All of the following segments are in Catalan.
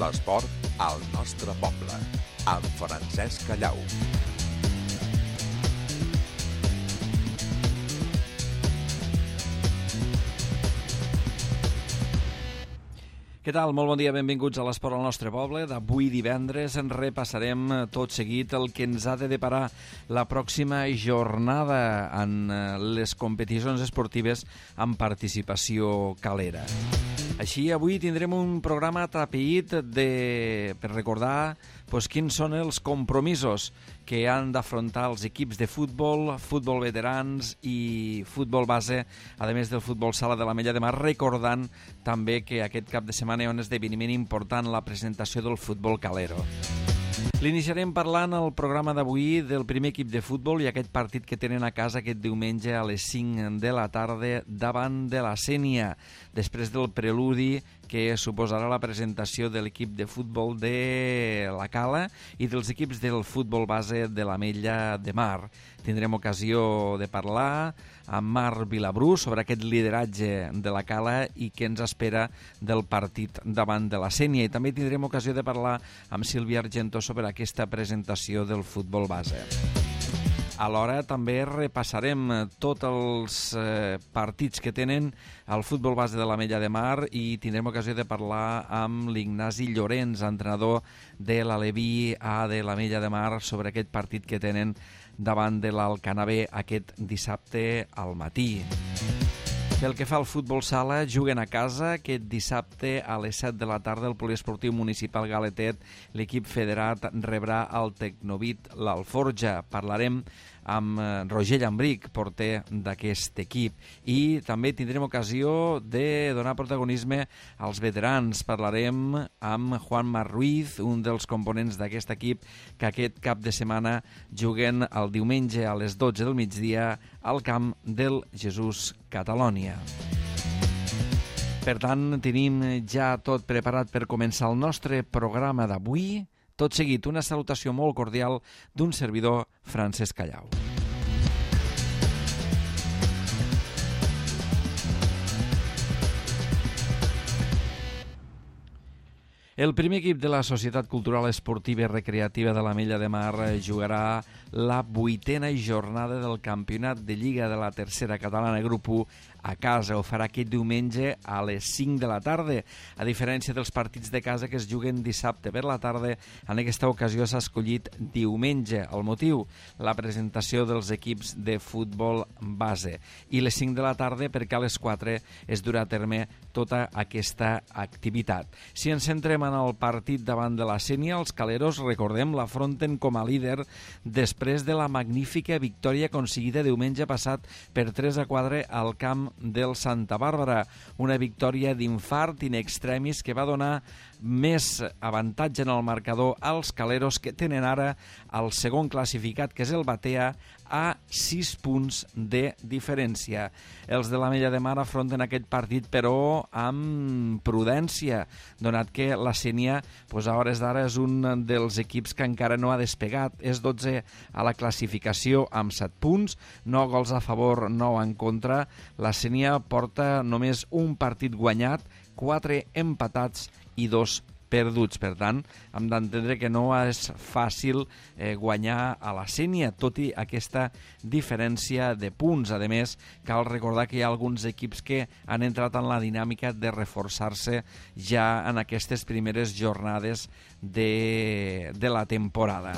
L'esport al nostre poble, amb Francesc Callau. Què tal? Molt bon dia, benvinguts a l'Esport al nostre poble. D'avui divendres en repassarem tot seguit el que ens ha de deparar la pròxima jornada en les competicions esportives amb participació calera. Així, avui tindrem un programa atapeït per recordar quins són els compromisos que han d'afrontar els equips de futbol, futbol veterans i futbol base, a més del futbol sala de l'Ametlla de Mar, recordant també que aquest cap de setmana hi ha un esdeveniment important, la presentació del futbol calero. L'iniciarem parlant al programa d'avui del primer equip de futbol i aquest partit que tenen a casa aquest diumenge a les 5 de la tarda davant de la Sénia, després del preludi que suposarà la presentació de l'equip de futbol de la Cala i dels equips del futbol base de l'Ametlla de Mar. Tindrem ocasió de parlar amb Marc Vilabrú sobre aquest lideratge de la Cala i què ens espera del partit davant de la Sénia. I també tindrem ocasió de parlar amb Sílvia Argentó sobre aquesta presentació del futbol base. Alhora també repassarem tots els partits que tenen el futbol base de l'Ametlla de Mar i tindrem ocasió de parlar amb l'Ignasi Llorenç, entrenador de l'Aleví A de l'Ametlla de Mar, sobre aquest partit que tenen davant de l'Alcanavè aquest dissabte al matí. Pel que fa al futbol sala, juguen a casa aquest dissabte a les 7 de la tarda al Poliesportiu Municipal Galetet. L'equip federat rebrà el Tecnovit l'Alforja. Parlarem amb Roger Llambric, porter d'aquest equip. I també tindrem ocasió de donar protagonisme als veterans. Parlarem amb Juanma Ruiz, un dels components d'aquest equip, que aquest cap de setmana juguen el diumenge a les 12 del migdia al camp del Jesús Catalònia. Per tant, tenim ja tot preparat per començar el nostre programa d'avui. Tot seguit, una salutació molt cordial d'un servidor, Francesc Callau. El primer equip de la Societat Cultural Esportiva i Recreativa de l'Ametlla de Mar jugarà la 8a jornada del Campionat de Lliga de la Tercera Catalana Grup 1 a casa. Ho farà aquest diumenge a les 5 de la tarda. A diferència dels partits de casa que es juguen dissabte per la tarda, en aquesta ocasió s'ha escollit diumenge. El motiu? La presentació dels equips de futbol base. I les 5 de la tarda perquè a les 4 es durà a terme tota aquesta activitat. Si ens centrem en el partit davant de la Sénia, els caleros, recordem, l'afronten com a líder després de la magnífica victòria aconseguida diumenge passat per 3-4 al camp del Santa Bàrbara. Una victòria d'infart in extremis que va donar més avantatge en el marcador als caleros, que tenen ara el segon classificat, que és el Batea, a 6 punts de diferència. Els de l'Ametlla de Mar afronten aquest partit, però amb prudència, donat que la Sénia, a hores d'ara, és un dels equips que encara no ha despegat. És 12 a la classificació amb 7 punts, 9 gols a favor, 9 en contra. La Sénia porta només un partit guanyat, 4 empatats i 2 perduts. Per tant, hem d'entendre que no és fàcil guanyar a la Sénia, tot i aquesta diferència de punts. A més, cal recordar que hi ha alguns equips que han entrat en la dinàmica de reforçar-se ja en aquestes primeres jornades de la temporada.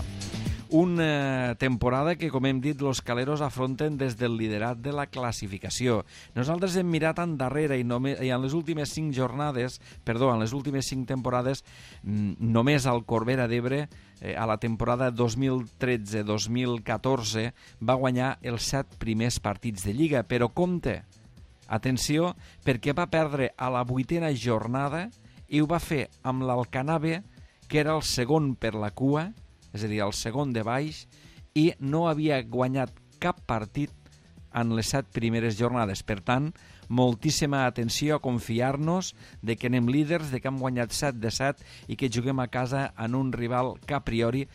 Una temporada que, com hem dit, los caleros afronten des del liderat de la classificació. Nosaltres hem mirat endarrere i en les últimes 5 temporades, només el Corbera d'Ebre, a la temporada 2013-2014, va guanyar els 7 primers partits de Lliga. Però compte, atenció, perquè va perdre a la 8a jornada i ho va fer amb l'Alcanavè, que era el segon per la cua, és a dir, el segon de baix, i no havia guanyat cap partit en les 7 primeres jornades. Per tant, moltíssima atenció a confiar-nos de que anem líders, de que hem guanyat 7 de 7 i que juguem a casa en un rival que a priori,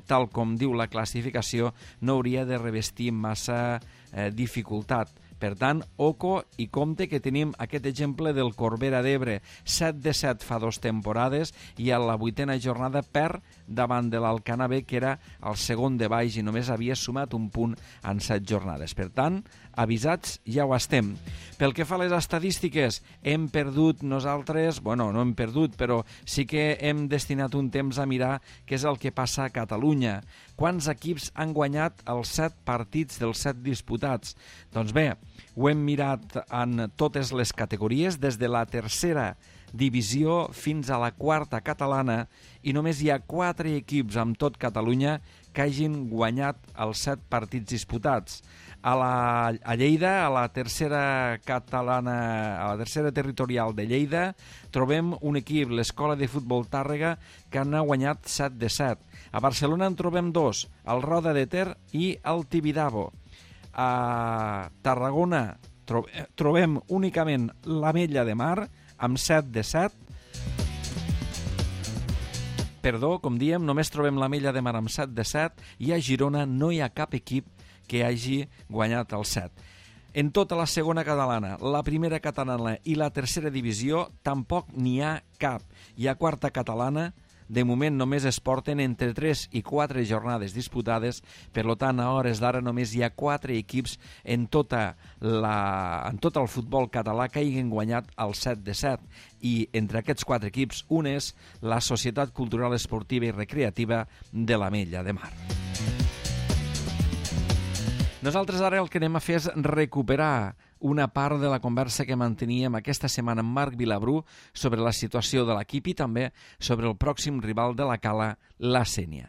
tal com diu la classificació, no hauria de revestir massa dificultat. Per tant, oco i compte que tenim aquest exemple del Corbera d'Ebre, 7 de 7 fa 2 temporades i a la 8a jornada perd davant de l'Alcanar B, que era el segon de baix i només havia sumat un punt en 7 jornades. Per tant, avisats ja ho estem. Pel que fa a les estadístiques, hem perdut nosaltres, bueno, no hem perdut, però sí que hem destinat un temps a mirar què és el que passa a Catalunya. Quants equips han guanyat els 7 partits dels 7 disputats? Doncs bé, ho hem mirat en totes les categories, des de la tercera divisió fins a la quarta catalana, i només hi ha 4 equips amb tot Catalunya que hagin guanyat els 7 partits disputats. A Lleida, a la tercera catalana, a la tercera territorial de Lleida, trobem un equip, l'Escola de Futbol Tàrrega, que n'ha guanyat 7 de 7. A Barcelona en trobem 2, el Roda de Ter i el Tibidabo. A Tarragona trobem únicament l'Ametlla de Mar, amb 7 de 7. Perdó, com diem, només trobem l'Ametlla de Mar amb 7 de 7 i a Girona no hi ha cap equip que hagi guanyat el 7. En tota la segona catalana, la primera catalana i la tercera divisió tampoc n'hi ha cap. I a quarta catalana, de moment només es porten entre 3 i 4 jornades disputades, per tant, a hores d'ara només hi ha 4 equips en tot el futbol català que hagin guanyat el 7 de 7. I entre aquests 4 equips, un és la Societat Cultural Esportiva i Recreativa de l'Ametlla de Mar. Nosaltres ara el que anem a fer és recuperar una part de la conversa que manteníem aquesta setmana amb Marc Vilabrú sobre la situació de l'equip i també sobre el pròxim rival de la Cala, la Sénia.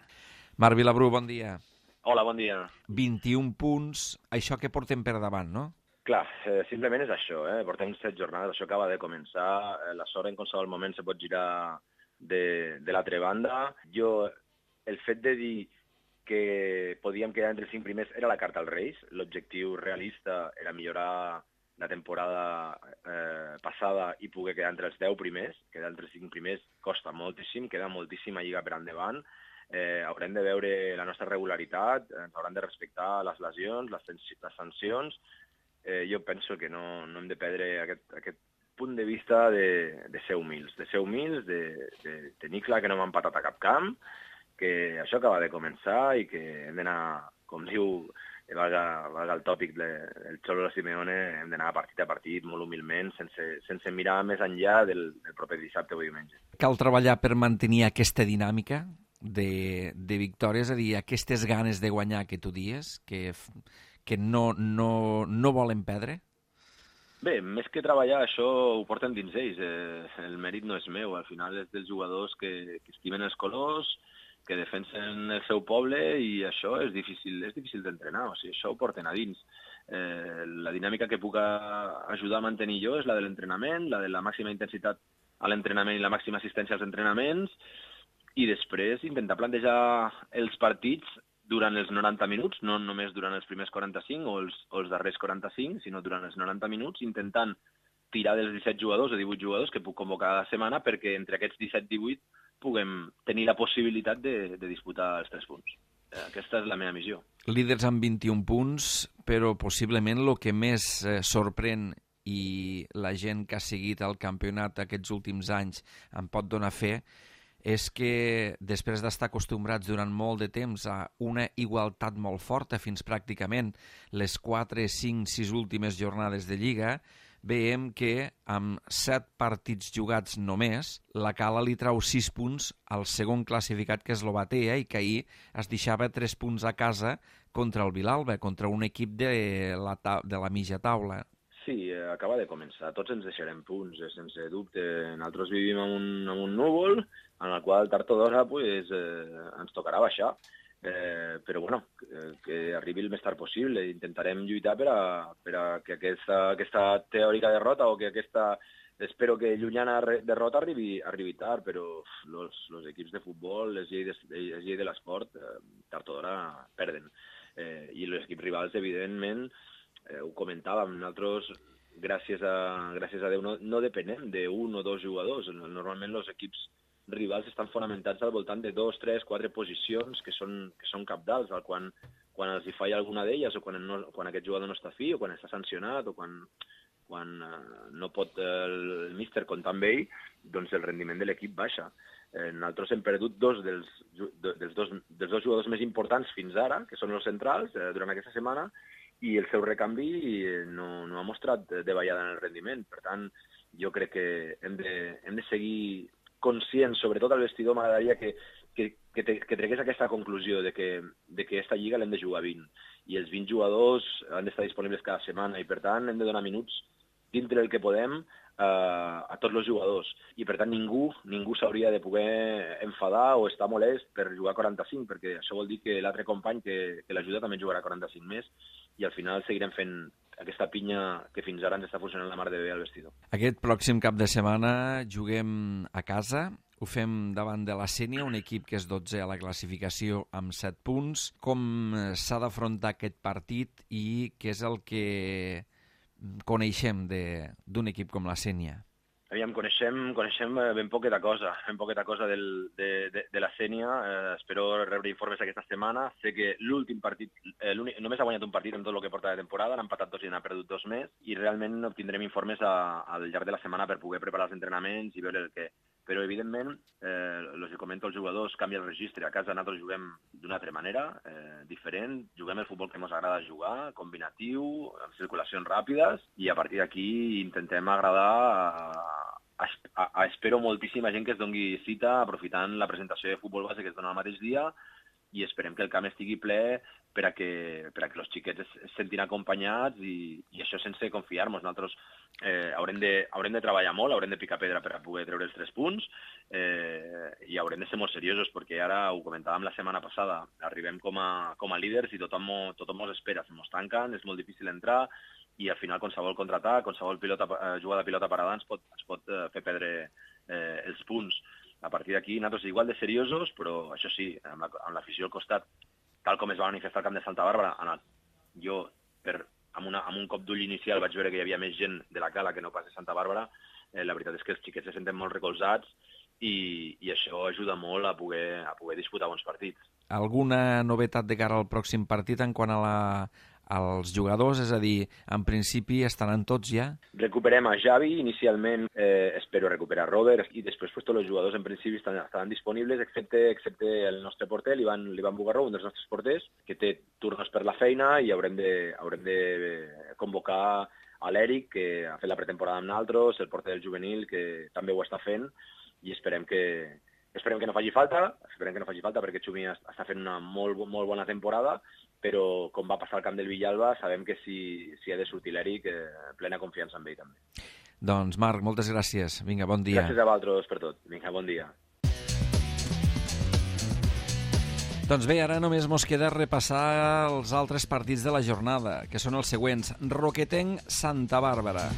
Marc Vilabrú, bon dia. Hola, bon dia. 21 punts, això que portem per davant, no? Clar, simplement és això, portem 7 jornades, això acaba de començar, la sort en qualsevol moment se pot girar de l'altra banda. El fet de dir que podíem quedar entre els 5 primers era la carta als Reis. L'objectiu realista era millorar la temporada passada i poder quedar entre els 10 primers. Quedar entre els 5 primers costa moltíssim, queda moltíssima lliga per endavant. Haurem de veure la nostra regularitat, ens hauran de respectar les lesions, les sancions. Jo penso que no hem de perdre aquest punt de vista de ser humils, de tenir clar que no hem empatat a cap camp, que això acaba de començar i que hem d'anar, com diu, valga el tòpic del Cholo Simeone, hem d'anar partit a partit, molt humilment, sense mirar més enllà del proper dissabte o diumenge. Cal treballar per mantenir aquesta dinàmica de victòries, és a dir, aquestes ganes de guanyar que tu dies, que no volen perdre? Bé, més que treballar, això ho porten dins ells. El mèrit no és meu, al final és dels jugadors que estimen els colors, que defensen el seu poble, i això és difícil d'entrenar, o sigui, això ho porten a dins. La dinàmica que puc ajudar a mantenir jo és la de l'entrenament, la de la màxima intensitat a l'entrenament i la màxima assistència als entrenaments, i després intentar plantejar els partits durant els 90 minuts, no només durant els primers 45 o els darrers 45, sinó durant els 90 minuts, intentant tirar dels 17 jugadors o 18 jugadors que puc convocar cada setmana, perquè entre aquests 17-18 puguem tenir la possibilitat de disputar els 3 punts. Aquesta és la meva missió. Líders amb 21 punts, però possiblement el que més sorprèn, i la gent que ha seguit el campionat aquests últims anys en pot donar fe, és que després d'estar acostumbrats durant molt de temps a una igualtat molt forta, fins pràcticament les 4, 5, 6 últimes jornades de Lliga, veiem que amb 7 partits jugats només, la Cala li trau 6 punts al segon classificat, que és l'Obatea, i que ahir es deixava 3 punts a casa contra el Vilalba, contra un equip de la mitja taula. Sí, acaba de començar. Tots ens deixarem punts, sense dubte. Nosaltres vivim en un núvol, en el qual tard o d'hora ens tocarà baixar. Però bueno, que arribi el més tard possible. Intentarem lluitar per a que aquesta teòrica derrota, o que aquesta, espero que llunyana derrota arribi tard, però els equips de futbol, les lleis de l'esport, tard o d'hora perden. I els equips rivals, evidentment, ho comentàvem, nosaltres, gràcies a Déu, no depenem d'un o dos jugadors. Normalment els equips rivals estan fonamentats al voltant de 2, 3, 4 posicions que són cabdals, al qual quan els hi falla alguna d'elles, o quan aquest jugador no està fi, o quan està sancionat, o quan no pot el míster comptar amb ell, doncs el rendiment de l'equip baixa. Nosaltres hem perdut dos dels dos jugadors més importants fins ara, que són els centrals, durant aquesta setmana, i el seu recanvi no ha mostrat davallada en el rendiment. Per tant, jo crec que hem de seguir conscients, sobretot al vestidor, m'agradaria que tregués aquesta conclusió de que aquesta lliga l'hem de jugar 20, i els 20 jugadors han d'estar disponibles cada setmana, i per tant hem de donar minuts dintre del que podem a tots els jugadors, i per tant ningú s'hauria de poder enfadar o estar molest per jugar 45, perquè això vol dir que l'altre company que l'ajuda també jugarà 45 més, i al final seguirem fent aquesta pinya que fins ara ens està funcionant la mar de bé al vestidor. Aquest pròxim cap de setmana juguem a casa, ho fem davant de la Sénia, un equip que és 12 a la classificació amb 7 punts. Com s'ha d'afrontar aquest partit i què és el que coneixem d'un equip com la Sénia? Aviam, coneixem ben poqueta cosa de la Sénia. Espero rebre informes aquesta setmana. Sé que l'últim partit, només ha guanyat un partit en tot el que porta de temporada, n'ha empatat 2 i n'ha perdut 2 més, i realment obtindrem informes al llarg de la setmana per poder preparar els entrenaments i veure el que... Però, evidentment, els que comento els jugadors, canvia el registre. A casa nosaltres juguem d'una altra manera, diferent. Juguem el futbol que ens agrada jugar, combinatiu, amb circulacions ràpides, i a partir d'aquí intentem agradar espero moltíssima gent que es doni cita aprofitant la presentació de futbol base que es dona el mateix dia, i esperem que el camp estigui ple per a que els xiquets es sentin acompanyats, i això sense confiar-nos. Nosaltres haurem de treballar molt, haurem de picar pedra per a poder treure els 3 punts, i haurem de ser molt seriosos, perquè ara, ho comentàvem la setmana passada, arribem com a líders i tothom ens espera, se mos tanquen, és molt difícil entrar, i al final qualsevol contraatac, qualsevol jugada de pilota parada ens pot fer perdre els punts. A partir d'aquí, nosaltres igual de seriosos, però això sí, amb l'afició al costat, tal com es va manifestar al camp de Santa Bàrbara, jo, amb un cop d'ull inicial, vaig veure que hi havia més gent de la Cala que no pas de Santa Bàrbara. La veritat és que els xiquets se senten molt recolzats, i això ajuda molt a poder disputar bons partits. Alguna novetat de cara al pròxim partit en quant als jugadors? És a dir, en principi estaran tots ja? Recuperem a Xavi, inicialment espero recuperar Robert, i després tots els jugadors en principi estaran disponibles, excepte el nostre porter, l'Ivan Bugarró, un dels nostres porters, que té turnos per la feina, i haurem de convocar a l'Eric, que ha fet la pretemporada amb nosaltres, el porter del juvenil, que també ho està fent, i esperem que no faci falta, perquè Xumi està fent una molt bona temporada, però com va passar al camp del Villalba, sabem que si ha de sortir l'Eric, plena confiança en ell també. Doncs Marc, moltes gràcies. Vinga, bon dia. Gràcies a vosaltres per tot. Vinga, bon dia. Doncs bé, ara només mos queda repassar els altres partits de la jornada, que són els següents. Roquetenc, Santa Bàrbara.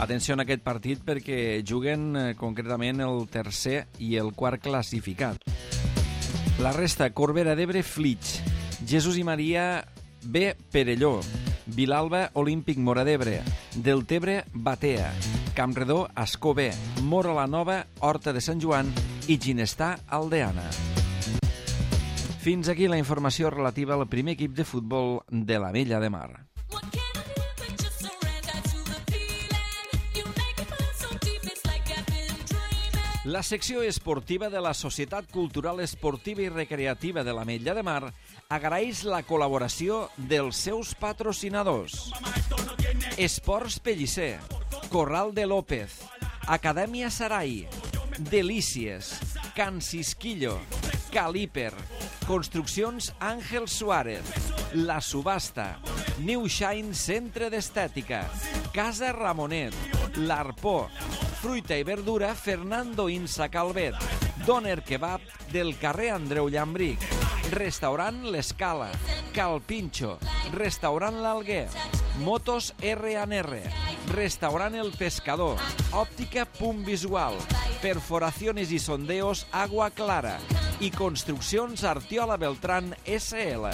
Atenció en aquest partit perquè juguen concretament el tercer i el quart classificat. La resta, Corbera d'Ebre, Flix, Jesús i Maria, B, Perelló, Vilalba, Olímpic, Móra d'Ebre, Deltebre, Batea, Campredó, Ascó B, Móra la Nova, Horta de Sant Joan i Ginestà, Aldeana. Fins aquí la informació relativa al primer equip de futbol de l'Ametlla de Mar. La secció esportiva de la Societat Cultural Esportiva i Recreativa de l'Ametlla de Mar agraeix la col·laboració dels seus patrocinadors. Esports Pellicer, Corral de López, Acadèmia Sarai, Delícies, Can Cisquillo, Caliper, Construccions Àngel Suárez, La Subhasta, New Shine Centre d'Estètica, Casa Ramonet, L'Arpó, Fruita i verdura Fernando Insa Calvet, Doner Kebab del carrer Andreu Llambric, Restaurant L'Escala, Cal Pincho, Restaurant L'Alguer, Motos R&R, Restaurant El Pescador, Òptica Punt Visual, Perforaciones y Sondeos Agua Clara i Construccions Artiola Beltrán SL.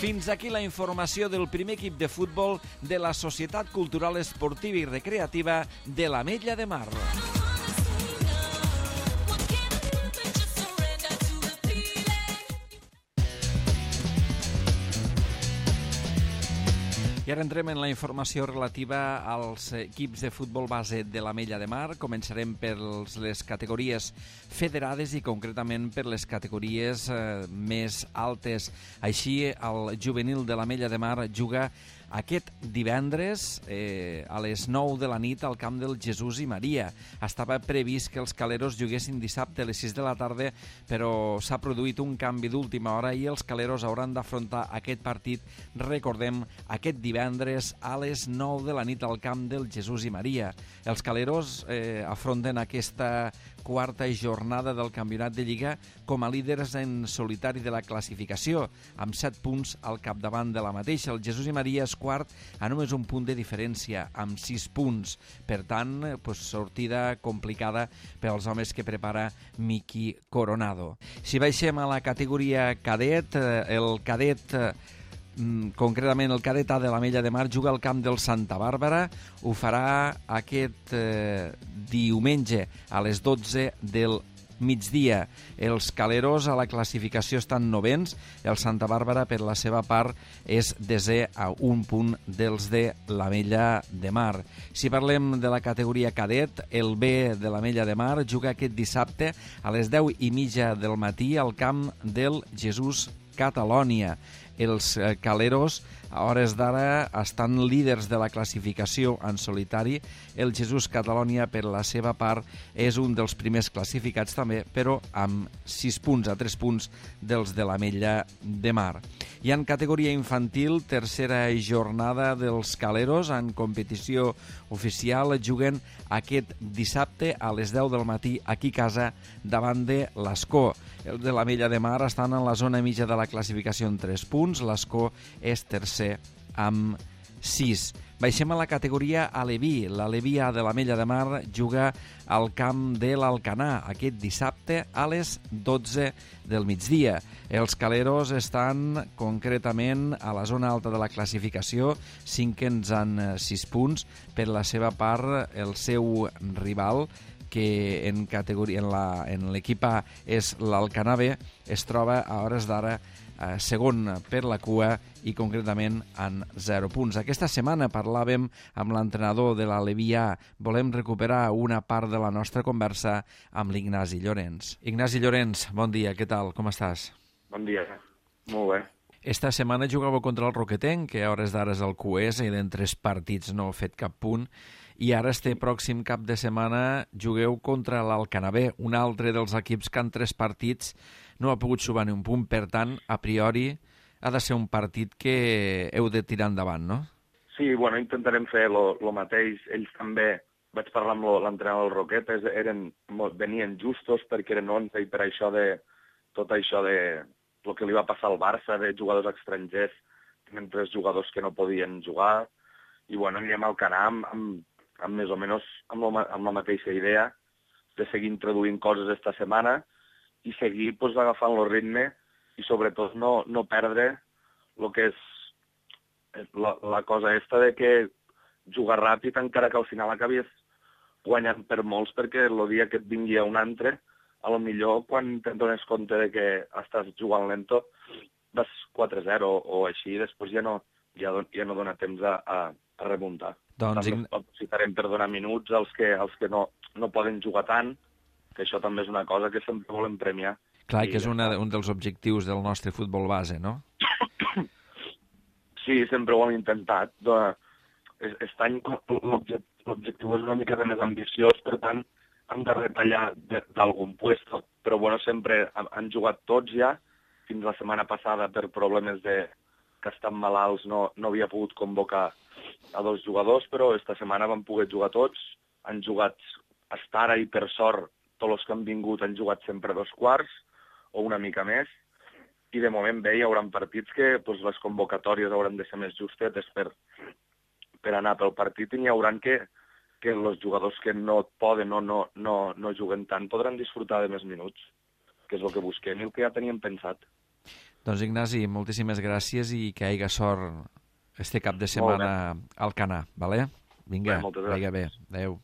Fins aquí la informació del primer equip de futbol de la Societat Cultural Esportiva i Recreativa de l'Ametlla de Mar. I ara entrem en la informació relativa als equips de futbol base de l'Ametlla de Mar. Començarem per les categories federades i concretament per les categories més altes. Així, el juvenil de l'Ametlla de Mar juga aquest divendres a les 9 de la nit al camp del Jesús i Maria. Estava previst que els caleros juguessin dissabte a les 6 de la tarda, però s'ha produït un canvi d'última hora i els caleros hauran d'afrontar aquest partit, recordem, aquest divendres a les 9 de la nit al camp del Jesús i Maria. Els caleros afronten aquesta quarta jornada del campionat de Lliga com a líders en solitari de la classificació, amb 7 punts al capdavant de la mateixa. El Jesús i Maria és quart a només un punt de diferència, amb 6 punts. Per tant, sortida complicada per als homes que prepara Miki Coronado. Si baixem a la categoria cadet, el cadet concretament el cadet A de l'Ametlla de Mar juga al camp del Santa Bàrbara. Ho farà aquest diumenge a les 12 del migdia. Els caleros a la classificació estan novens. El Santa Bàrbara, per la seva part, és desè a un punt dels de l'Ametlla de Mar. Si parlem de la categoria cadet, el B de l'Ametlla de Mar juga aquest dissabte a les 10:30 del matí al camp del Jesús Catalònia. Els caleros a hores d'ara estan líders de la classificació en solitari. El Jesús Catalònia, per la seva part, és un dels primers classificats també, però amb 6 punts, a 3 punts dels de l'Ametlla de Mar. I en categoria infantil, tercera jornada dels caleros en competició oficial, juguen aquest dissabte a les 10 del matí aquí a casa davant de l'Escó. Els de l'Ametlla de Mar estan en la zona mitja de la classificació en 3 punts. L'Escó és tercer amb 6. Baixem a la categoria Aleví. L'Aleví A de l'Ametlla de Mar juga al camp de l'Alcanar aquest dissabte a les 12 del migdia. Els caleros estan concretament a la zona alta de la classificació, cinquens en 6 punts. Per la seva part, el seu rival, que en l'equip A és l'Alcanar B, es troba a hores d'ara segon per la cua i concretament en 0 punts. Aquesta setmana parlàvem amb l'entrenador de l'Aleví A. Volem recuperar una part de la nostra conversa amb l'Ignasi Llorens. Ignasi Llorens, bon dia, què tal? Com estàs? Bon dia, molt bé. Esta setmana jugàveu contra el Roquetenc, que a hores d'ara és el QS i d'en 3 partits no ha fet cap punt. I ara este pròxim cap de setmana jugueu contra l'Alcanar B, un altre dels equips que en 3 partits no ha pogut sumar ni un punt. Per tant, a priori, ha de ser un partit que heu de tirar endavant, no? Sí, bueno, intentarem fer lo mateix. Ells també, vaig parlar amb l'entrenador del Roquetes, venien justos perquè eren 11 i per això tot això de el que li va passar al Barça, de jugadors estrangers, tenen 3 jugadors que no podien jugar, i bueno, anirem al Alcanar amb més o menys amb la mateixa idea de seguir introduint coses esta setmana i seguir agafant el ritme i sobretot no perdre el que és la cosa esta de que jugar ràpid encara que al final acabis guanyant per molts, perquè el dia que et vingui un altre, a lo millor quan te'n dones compte de que estàs jugant lento vas 4-0 o així, després ja no dona temps a remuntar. Doncs aprofitarem per donar minuts als que no poden jugar tant, que això també és una cosa que sempre volem premiar. Clar, que és un dels objectius del nostre futbol base, no? Sí, sempre ho hem intentat. Aquest any l'objectiu és una mica més ambiciós, per tant, hem de retallar d'algun puesto. Però bueno, sempre han jugat tots ja. Fins la setmana passada, per problemes que estan malalts, no havia pogut convocar a 2 jugadors, però esta setmana van poder jugar tots. Han jugat hasta ara i, per sort, tots els que han vingut han jugat sempre 2 quarts o una mica més. I de moment bé, hi haurà partits que les convocatòries hauran de ser més justetes per anar pel partit, i n'hi haurà que els jugadors que no poden o no juguen tant podran disfrutar de més minuts, que és el que busquem i el que ja teníem pensat. Doncs Ignasi, moltíssimes gràcies i que hi hagi sort este cap de setmana al Alcanar, vale? Vinga, vagi bé. Adéu.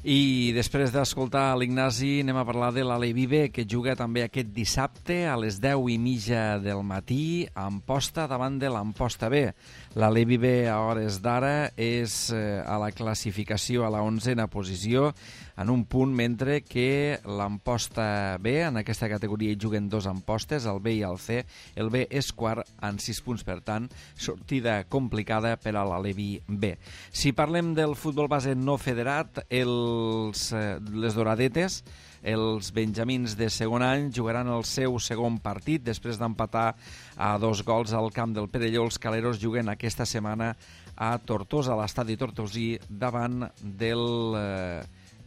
I després d'escoltar l'Ignasi anem a parlar de l'Alevi B, que juga també aquest dissabte a les 10:30 del matí a Amposta davant de l'Amposta B. L'Alevi B a hores d'ara és a la classificació a la 11a posició en un punt, mentre que l'Amposta B, en aquesta categoria hi juguen dos Ampostes, el B i el C. El B és quart en 6 punts, per tant, sortida complicada per a l'Alevi B. Si parlem del futbol base no federat, les Doradetes, els benjamins de segon any, jugaran el seu segon partit després d'empatar a 2 gols al camp del Perelló. Els caleros juguen aquesta setmana a Tortosa, a l'estadi tortosí, davant del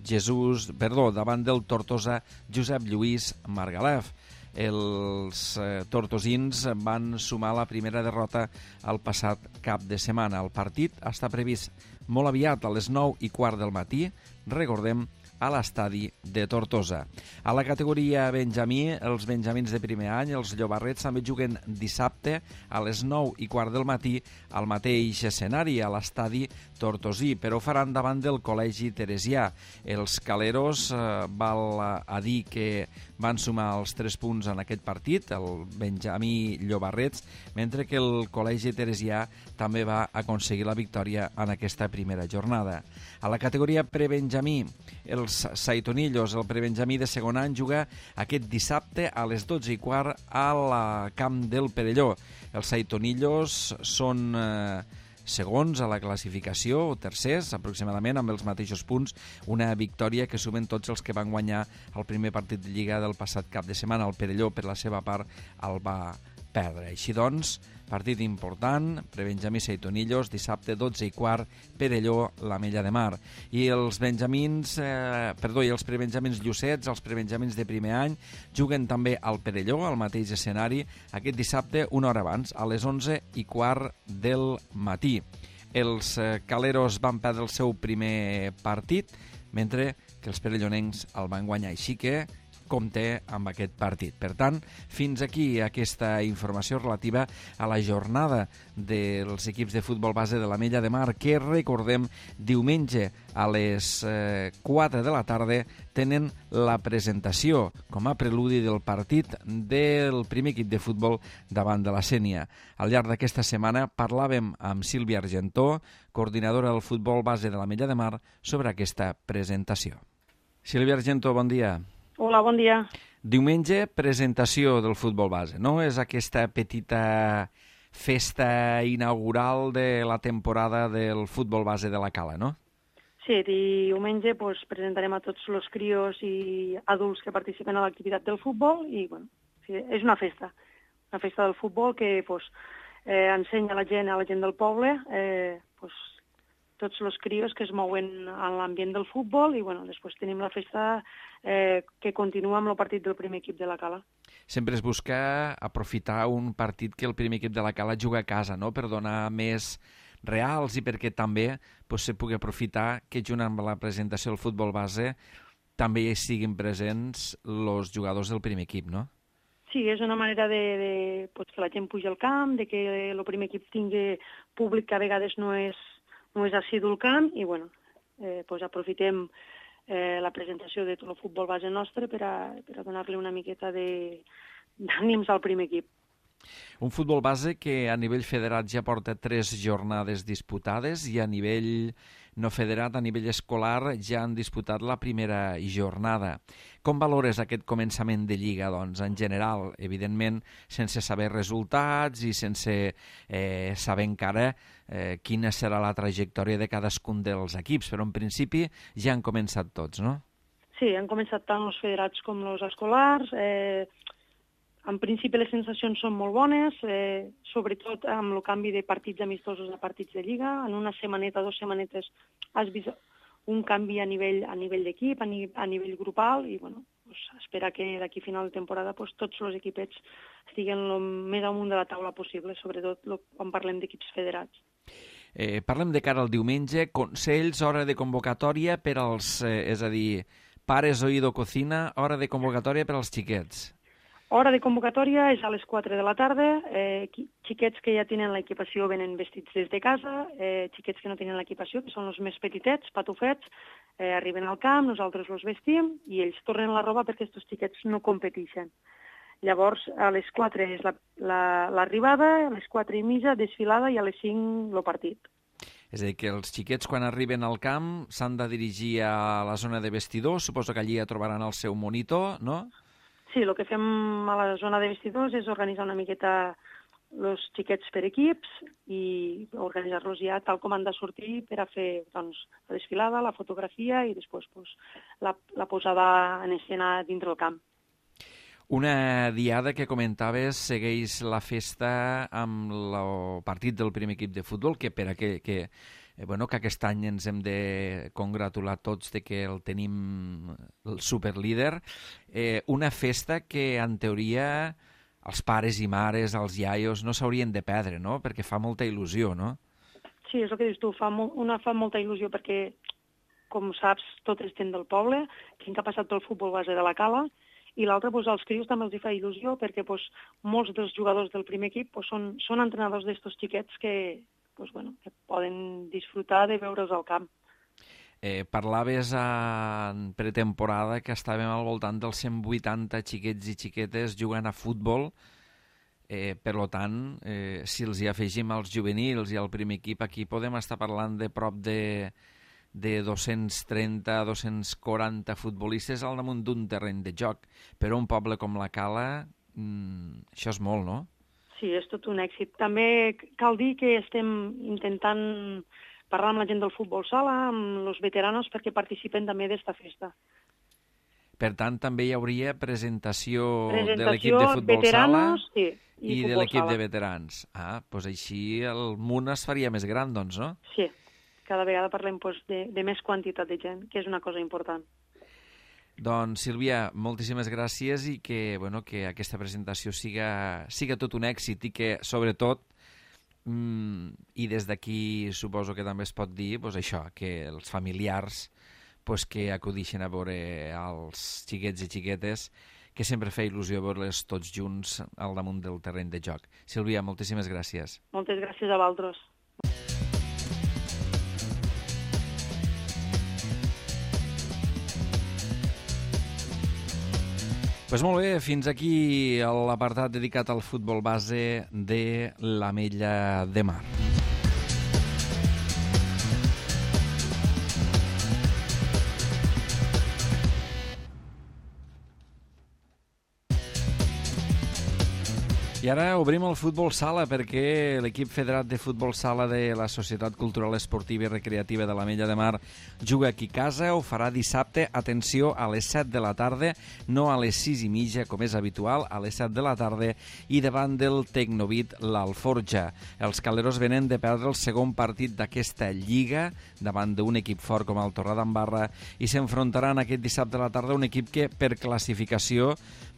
davant del Tortosa Josep Lluís Margalef. Els tortosins van sumar la primera derrota el passat cap de setmana. El partit està previst molt aviat a les 9:15 del matí, recordem, a l'estadi de Tortosa. A la categoria benjamí, els benjamins de primer any, els llobarrets, també juguen dissabte a les 9:15 del matí al mateix escenari, a l'estadi tortosí, però ho faran davant del Col·legi Teresià. Els caleros val a dir que van sumar els 3 punts en aquest partit, el benjamí llobarrets, mentre que el Col·legi Teresià també va aconseguir la victòria en aquesta primera jornada. A la categoria prebenjamí, els Saitonillos, el prebenjamí de segon any, juga aquest dissabte a les 12:15 al camp del Perelló. Els Saitonillos són segons a la classificació, o tercers, aproximadament, amb els mateixos punts, una victòria que sumen tots els que van guanyar el primer partit de Lliga del passat cap de setmana. El Perelló, per la seva part, el va perdre. Així doncs, partit important, prebenjamí Saitonillos, dissabte 12:15, Perelló, l'Ametlla de Mar. I els els prebenjamins Llucets, els prebenjamins de primer any, juguen també al Perelló, al mateix escenari, aquest dissabte una hora abans, a les 11:15 del matí. Els caleros van perdre el seu primer partit, mentre que els perellonencs el van guanyar, així que compte amb aquest partit. Per tant, fins aquí aquesta informació relativa a la jornada dels equips de futbol base de l'Ametlla de Mar, que, recordem, diumenge a les 4 de la tarda tenen la presentació com a preludi del partit del primer equip de futbol davant de la Sénia. Al llarg d'aquesta setmana parlàvem amb Sílvia Argentó, coordinadora del futbol base de l'Ametlla de Mar, sobre aquesta presentació. Sílvia Argentó, bon dia. Hola, bon dia. Diumenge, presentació del futbol base, no? És aquesta petita festa inaugural de la temporada del futbol base de la Cala, no? Sí, diumenge presentarem a tots els crios i adults que participen a l'activitat del futbol i, sí, és una festa del futbol que ensenya a la gent del poble tots els crios que es mouen en l'ambient del futbol i, després tenim la festa que continua amb el partit del primer equip de la Cala. Sempre es busca aprofitar un partit que el primer equip de la Cala juga a casa, no?, per donar més reals i perquè també se pugui aprofitar que junt amb la presentació del futbol base també hi siguin presents els jugadors del primer equip, no? Sí, és una manera de que la gent pugi al camp, de que el primer equip tingui públic que a vegades no és assidu al camp i, aprofitem la presentació de tot el futbol base nostre per a donar-li una miqueta d'ànims al primer equip. Un futbol base que a nivell federat ja porta 3 jornades disputades i a nivell no federat, a nivell escolar, ja han disputat la primera jornada. Com valores aquest començament de Lliga, doncs, en general, evidentment, sense saber resultats i sense saber encara quina serà la trajectòria de cadascun dels equips, però en principi ja han començat tots, no? Sí, han començat tant els federats com els escolars. En principi les sensacions són molt bones, sobretot amb el canvi de partits amistosos a partits de Lliga. En una setmaneta, 2 setmanetes, has vist un canvi a nivell d'equip, a nivell grupal, i espera que d'aquí a final de temporada tots els equipets estiguen el més amunt de la taula possible, sobretot quan parlem d'equips federats. Parlem de cara al diumenge, consells, hora de convocatòria per als, és a dir, pares oído cocina, hora de convocatòria per als xiquets. Hora de convocatòria és a les 4 de la tarda. Xiquets que ja tenen l'equipació venen vestits des de casa. Xiquets que no tenen l'equipació, que són els més petitets, patufets, Arriben al camp, nosaltres els vestim i ells tornen la roba perquè aquests xiquets no competeixen. Llavors, a les 4 és l'arribada, a les 4 i mitja desfilada i a les 5 el partit. És a dir, que els xiquets quan arriben al camp s'han de dirigir a la zona de vestidors, suposo que allí ja trobaran el seu monitor, no? Sí, el que fem a la zona de vestidors és organitzar una miqueta els xiquets per equips i organitzar-los ja tal com han de sortir per a fer doncs, la desfilada, la fotografia i després doncs, la posada en escena dintre del camp. Una diada que comentaves segueix la festa amb el partit del primer equip de futbol, que per a que aquest any ens hem de congratular tots de que el tenim el superlíder. Una festa que, en teoria, els pares i mares, els iaios, no s'haurien de perdre, no? Perquè fa molta il·lusió, no? Sí, és el que dius tu, fa molta il·lusió perquè, com saps, tot és gent del poble, gent que ha passat pel futbol base de la Cala, i l'altre, doncs, als crios també els hi fa il·lusió perquè doncs, molts dels jugadors del primer equip doncs, són entrenadors d'estos xiquets que poden disfrutar de veure'ls al camp. Parlaves en pretemporada que estàvem al voltant dels 180 xiquets i xiquetes jugant a futbol. Per tant, si els hi afegim als juvenils i al primer equip, aquí podem estar parlant de prop de 230, 240 futbolistes al damunt d'un terreny de joc. Per un poble com la Cala, això és molt, no? Sí, és tot un èxit. També cal dir que estem intentant parlar amb la gent del futbol sala, amb els veteranos, perquè participen també d'esta festa. Per tant, també hi hauria presentació de l'equip de futbol veteranos, sala sí, i de l'equip de veterans. Doncs així el munt es faria més gran, doncs, no? Sí, cada vegada parlem de més quantitat de gent, que és una cosa important. Doncs, Sílvia, moltíssimes gràcies i que aquesta presentació siga tot un èxit i que, sobretot, i des d'aquí suposo que també es pot dir això, que els familiars que acudixen a veure els xiquets i xiquetes, que sempre fa il·lusió veure-les tots junts al damunt del terreny de joc. Sílvia, moltíssimes gràcies. Moltes gràcies a vosaltres. Doncs molt bé, fins aquí l'apartat dedicat al futbol base de l'Ametlla de Mar. I ara obrim el futbol sala perquè l'equip federat de futbol sala de la Societat Cultural Esportiva i Recreativa de l'Ametlla de Mar juga aquí a casa. Ho farà dissabte, atenció, a les 7 de la tarda, no a les 6 i mitja, com és habitual, a les 7 de la tarda, i davant del Tecnovit l'Alforja. Els caleros venen de perdre el segon partit d'aquesta lliga davant d'un equip fort com el Torredembarra i s'enfrontaran aquest dissabte a la tarda un equip que, per classificació,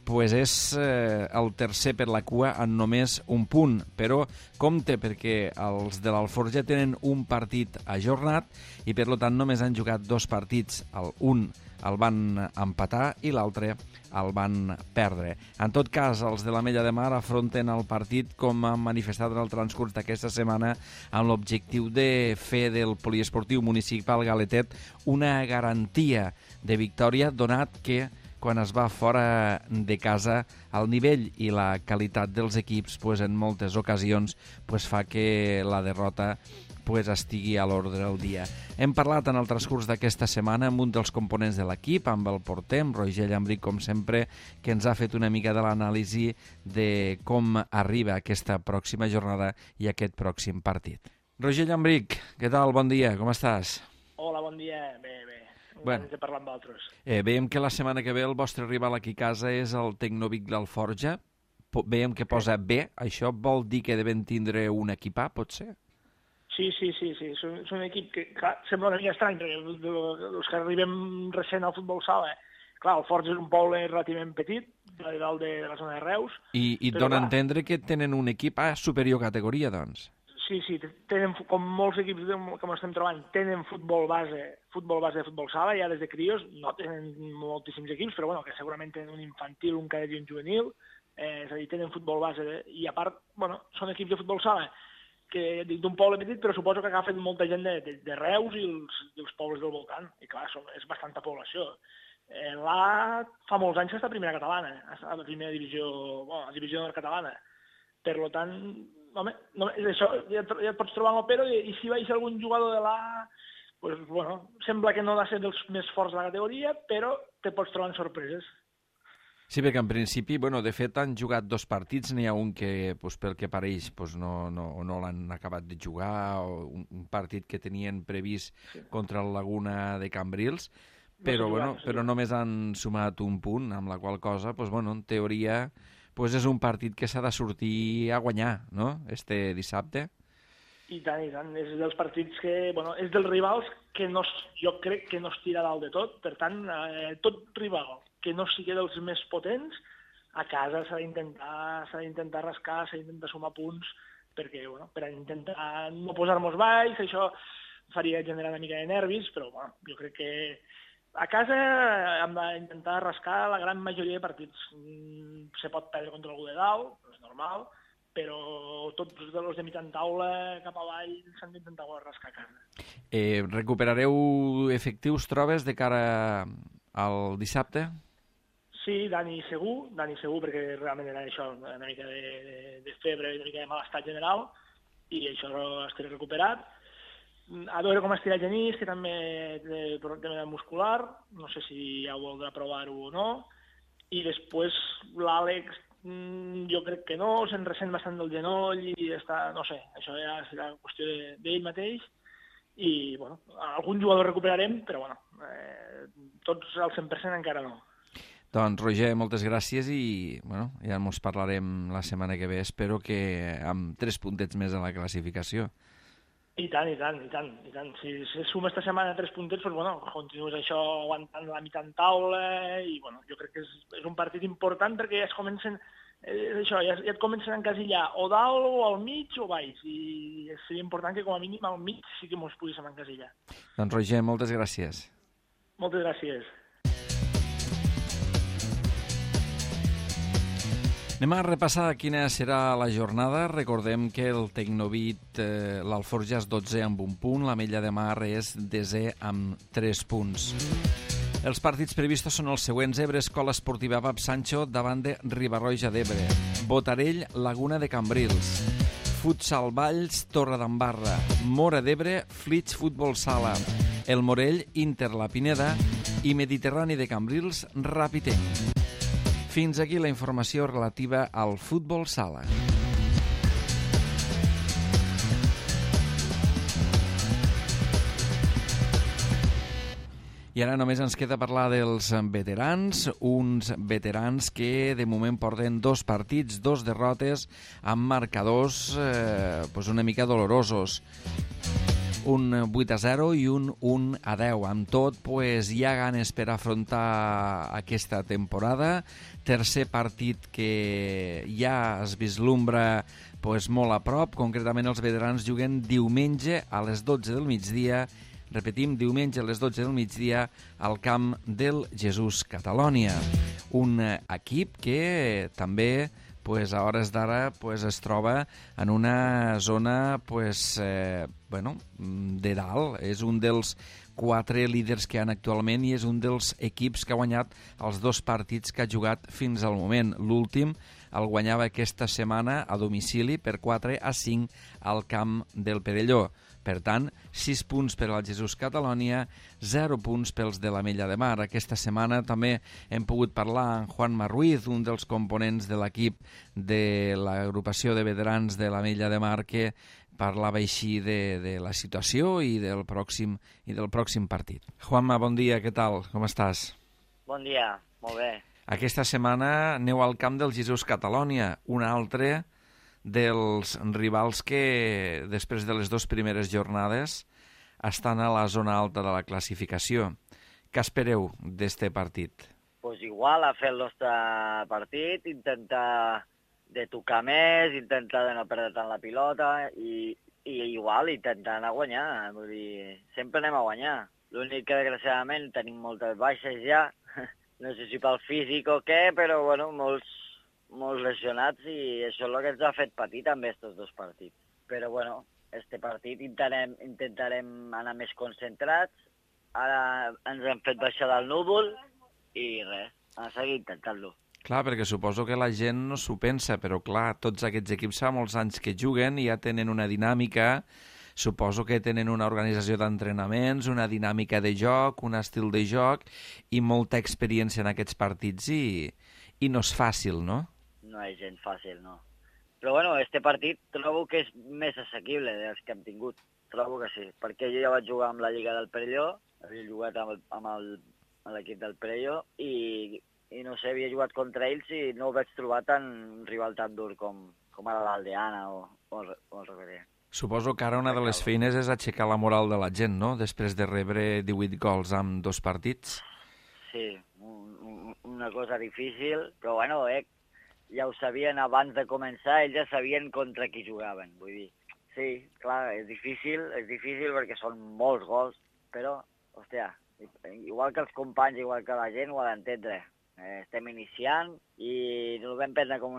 és el tercer per la cua en només un punt, però compte perquè els de l'Alforja tenen un partit ajornat i per tant només han jugat 2 partits. Un el van empatar i l'altre el van perdre. En tot cas, els de l'Ametlla de Mar afronten el partit, com han manifestat en el transcurs d'aquesta setmana, amb l'objectiu de fer del poliesportiu municipal Galetet una garantia de victòria, donat que quan es va fora de casa, el nivell i la qualitat dels equips en moltes ocasions fa que la derrota estigui a l'ordre del dia. Hem parlat en el transcurs d'aquesta setmana amb un dels components de l'equip, amb el porter, amb Roger Llambric, com sempre, que ens ha fet una mica de l'anàlisi de com arriba aquesta pròxima jornada i aquest pròxim partit. Roger Llambric, què tal? Bon dia, com estàs? Hola, bon dia. Bé. Bueno, de parlar amb altres. Veiem que la setmana que ve el vostre rival aquí a casa és el Tecnovic l'Alforja. Veiem que posa B. Això vol dir que devem tindre un equip A, pot ser? Sí. És un equip que, clar, sembla una mica estrany, perquè els que arribem recent al futbol sala, clar, el Forja és un poble relativament petit, de dalt de la zona de Reus. I et dona a entendre que tenen un equip A superior categoria, doncs? Sí, tenen, com molts equips que estem trobant, tenen futbol base de futbol sala, ja des de crios, no tenen moltíssims equips, però bueno, que segurament tenen un infantil, un cadet i un juvenil, és a dir, tenen futbol base, i a part, bueno, són equips de futbol sala que dic d'un poble petit, però suposo que agafen molta gent de Reus i els pobles del voltant. I clar, és bastanta població. L'A fa molts anys que està a primera catalana, a la primera divisió, bueno, a la divisió catalana. Per tant, home, no, això, ja et pots trobar en l'Opero i si va ser algun jugador de l'A, pues, bueno, sembla que no ha de ser dels més forts de la categoria, però te pots trobar en sorpreses. Sí, perquè en principi, bueno, de fet han jugat 2 partits, n'hi ha un que, pues, pel que pareix, pues, no l'han acabat de jugar, o un partit que tenien previst contra el Laguna de Cambrils, però, però només han sumat un punt, amb la qual cosa, pues, bueno, en teoria, pues, és un partit que s'ha de sortir a guanyar, no?, este dissabte. I tant, és dels partits que, bueno, és dels rivals que jo crec que no es tira dalt de tot, per tant, tot rival que no sigui dels més potents, a casa s'ha d'intentar rascar, s'ha d'intentar sumar punts, perquè, bueno, per intentar no posar-nos baix, això faria generar una mica de nervis, però, bueno, jo crec que a casa hem d'intentar rascar la gran majoria de partits. Se pot perdre contra algú de dalt, és normal, però tots els de mitjan taula cap avall s'han d'intentar rascar a casa. Recuperareu efectius, trobes, de cara al dissabte? Sí, Dani segur, perquè realment era això, una mica de febre, una mica de malestar general, i això estaré recuperat. A veure com estirà Genís, que també té problema muscular, no sé si ja voldrà provar-ho o no, i després l'Àlex, jo crec que no, se'n ressent bastant del genoll i està, no sé, això ja serà qüestió d'ell mateix, i, bueno, algun jugador recuperarem, però, bueno, tots al 100% encara no. Doncs, Roger, moltes gràcies i, bueno, ja ens parlarem la setmana que ve. Espero que amb 3 puntets més a la classificació. I tant. Si suma esta setmana 3 puntets, doncs, bueno, continues això aguantant la mitja en taula i, bueno, jo crec que és un partit important perquè ja es comencen, ja et comencen a encasillar o dalt o al mig o baix i seria important que com a mínim al mig sí que ens poguéssim encasillar. Doncs, Roger, moltes gràcies. Moltes gràcies. Anem a repassar quina serà la jornada. Recordem que el Tecnovit, l'Alforja és 12 amb 1 punt, l'Ametlla de Mar és 10è amb 3 punts. Els partits previstos són els següents: Ebre, Escola Esportiva Pap Sancho davant de Riba-roja d'Ebre, Botarell, Laguna de Cambrils, Futsal Valls, Torredembarra, Móra d'Ebre, Flix Futbol Sala, El Morell, Inter La Pineda i Mediterrani de Cambrils, Ràpid. Fins aquí la informació relativa al futbol sala. I ara només ens queda parlar dels veterans, uns veterans que de moment porten 2 partits, 2 derrotes, amb marcadors una mica dolorosos. Un 8-0 i un 1-10. Amb tot, hi ha ganes per afrontar aquesta temporada. Tercer partit que ja es vislumbra molt a prop. Concretament, els veterans juguen diumenge a les 12 del migdia. Repetim, diumenge a les 12 del migdia al camp del Jesús Catalònia. Un equip que també a hores d'ara es troba en una zona de dalt. És un dels 4 líders que hi ha actualment i és un dels equips que ha guanyat els 2 partits que ha jugat fins al moment. L'últim el guanyava aquesta setmana a domicili per 4-5 al camp del Perelló. Per tant, 6 punts per al Jesús Catalònia, 0 punts pels de l'Ametlla de Mar. Aquesta setmana també hem pogut parlar amb Juanma Ruiz, un dels components de l'equip de l'agrupació de veterans de l'Ametlla de Mar, que parlava així de la situació i del pròxim partit. Juanma, bon dia, què tal? Com estàs? Bon dia, molt bé. Aquesta setmana aneu al camp del Jesús Catalònia, un altre dels rivals que, després de les 2 primeres jornades, estan a la zona alta de la classificació. Què espereu d'este partit? Pues igual, a fer el nostre partit, intentar de tocar més, intentar de no perdre tant la pilota i igual intentar anar a guanyar. Vull dir, sempre anem a guanyar. L'únic que, desgraciadament, tenim moltes baixes ja. No sé si pel físic o què, però, bueno, molts lesionats i això és el que ens ha fet patir també estos 2 partits. Però, bueno, este partit intentarem anar més concentrats. Ara ens hem fet baixar del núvol i res, a seguir intentant-lo. Clar, perquè suposo que la gent no s'ho pensa, però clar, tots aquests equips fa molts anys que juguen i ja tenen una dinàmica, suposo que tenen una organització d'entrenaments, una dinàmica de joc, un estil de joc i molta experiència en aquests partits i no és fàcil, no? No és gens fàcil, no. Però bueno, este partit trobo que és més assequible dels que hem tingut. Trobo que sí, perquè jo ja vaig jugar amb la Lliga del Perelló, havia jugat amb l'equip del Perelló i no sé, havia jugat contra ells i no ho vaig trobar un rival tan dur com ara l'Aldeana o el Reguerer. Suposo que ara una de les feines és aixecar la moral de la gent, no?, després de rebre 18 gols en 2 partits. Sí, una cosa difícil, però bueno, ja ho sabien abans de començar, ells ja sabien contra qui jugaven, vull dir. Sí, clar, és difícil perquè són molts gols, però, hòstia, igual que els companys, igual que la gent, ho ha d'entendre. Estem iniciant i no ho vam prendre com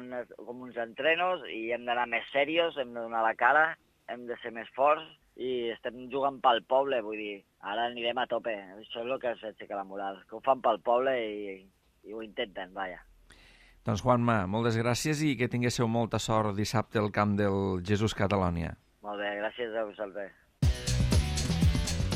uns entrenos i hem d'anar més serios, hem de donar la cara, hem de ser més forts i estem jugant pel poble, vull dir, ara anirem a tope. Això és el que ens aixeca la moral, que ho fan pel poble i ho intenten, vaja. Doncs Juanma, moltes gràcies i que tinguéssiu molta sort dissabte al camp del Jesús Catalonia. Molt bé, gràcies a vosaltres.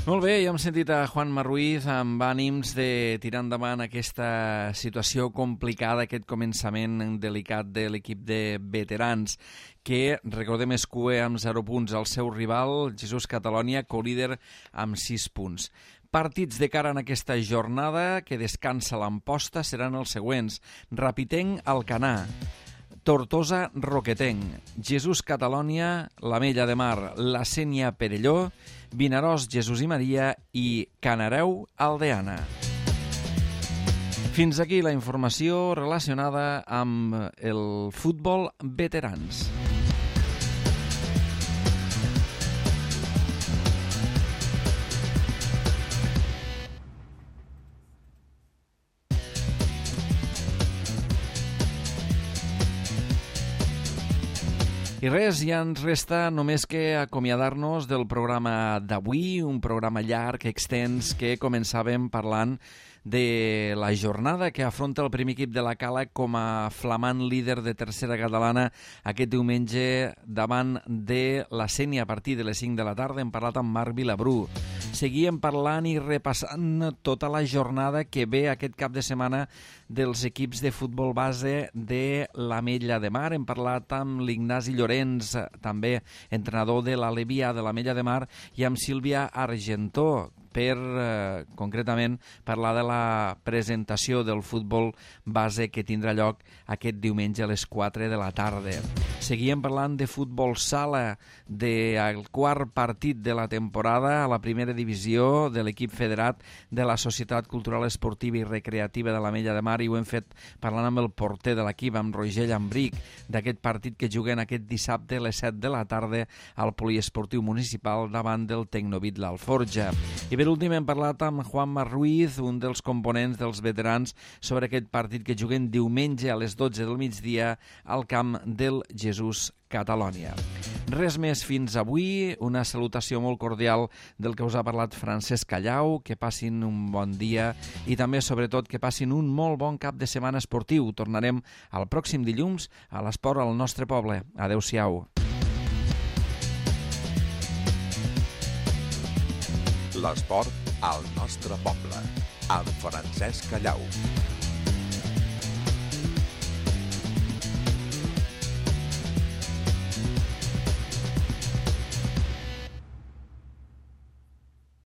Molt bé, ja hem sentit a Juanma Ruiz amb ànims de tirar endavant aquesta situació complicada, aquest començament delicat de l'equip de veterans, que, recordem, es cua amb 0 punts al seu rival, Jesús Catalonia, co-líder amb 6 punts. Partits de cara en aquesta jornada que descansa l'Amposta seran els següents. Rapitenc, Alcanar, Tortosa, Roquetenc, Jesús Catalonia, l'Ametlla de Mar, la Sénia, Perelló, Vinaròs, Jesús i Maria i Canareu, Aldeana. Fins aquí la informació relacionada amb el futbol veterans. I res, ja ens resta només que acomiadar-nos del programa d'avui, un programa llarg, extens, que començàvem parlant de la jornada que afronta el primer equip de la Cala com a flamant líder de tercera catalana aquest diumenge davant de la Sénia a partir de les 5 de la tarda. Hem parlat amb Marc Vilabrú. Seguíem parlant i repassant tota la jornada que ve aquest cap de setmana dels equips de futbol base de l'Ametlla de Mar. Hem parlat amb l'Ignasi Llorenç, també entrenador de l'Alevià de l'Ametlla de Mar, i amb Sílvia Argentó, per concretament parlar de la presentació del futbol base que tindrà lloc aquest diumenge a les 4 de la tarda. Seguíem parlant de futbol sala, del quart partit de la temporada a la primera divisió de l'equip federat de la Societat Cultural Esportiva i Recreativa de l'Ametlla de Mar, i ho hem fet parlant amb el porter de l'equip, amb Roger Llambric, d'aquest partit que juguen aquest dissabte a les 7 de la tarda al Poliesportiu Municipal davant del Tecnovit l'Alforja. I per últim hem parlat amb Juanma Ruiz, un dels components dels veterans, sobre aquest partit que juguen diumenge a les 12 del migdia al camp del Jesús Catalonia. Res més fins avui, una salutació molt cordial del que us ha parlat Francesc Callau, que passin un bon dia i també, sobretot, que passin un molt bon cap de setmana esportiu. Tornarem el pròxim dilluns a l'esport al nostre poble. Adéu-siau. L'esport al nostre poble, amb Francesc Callau.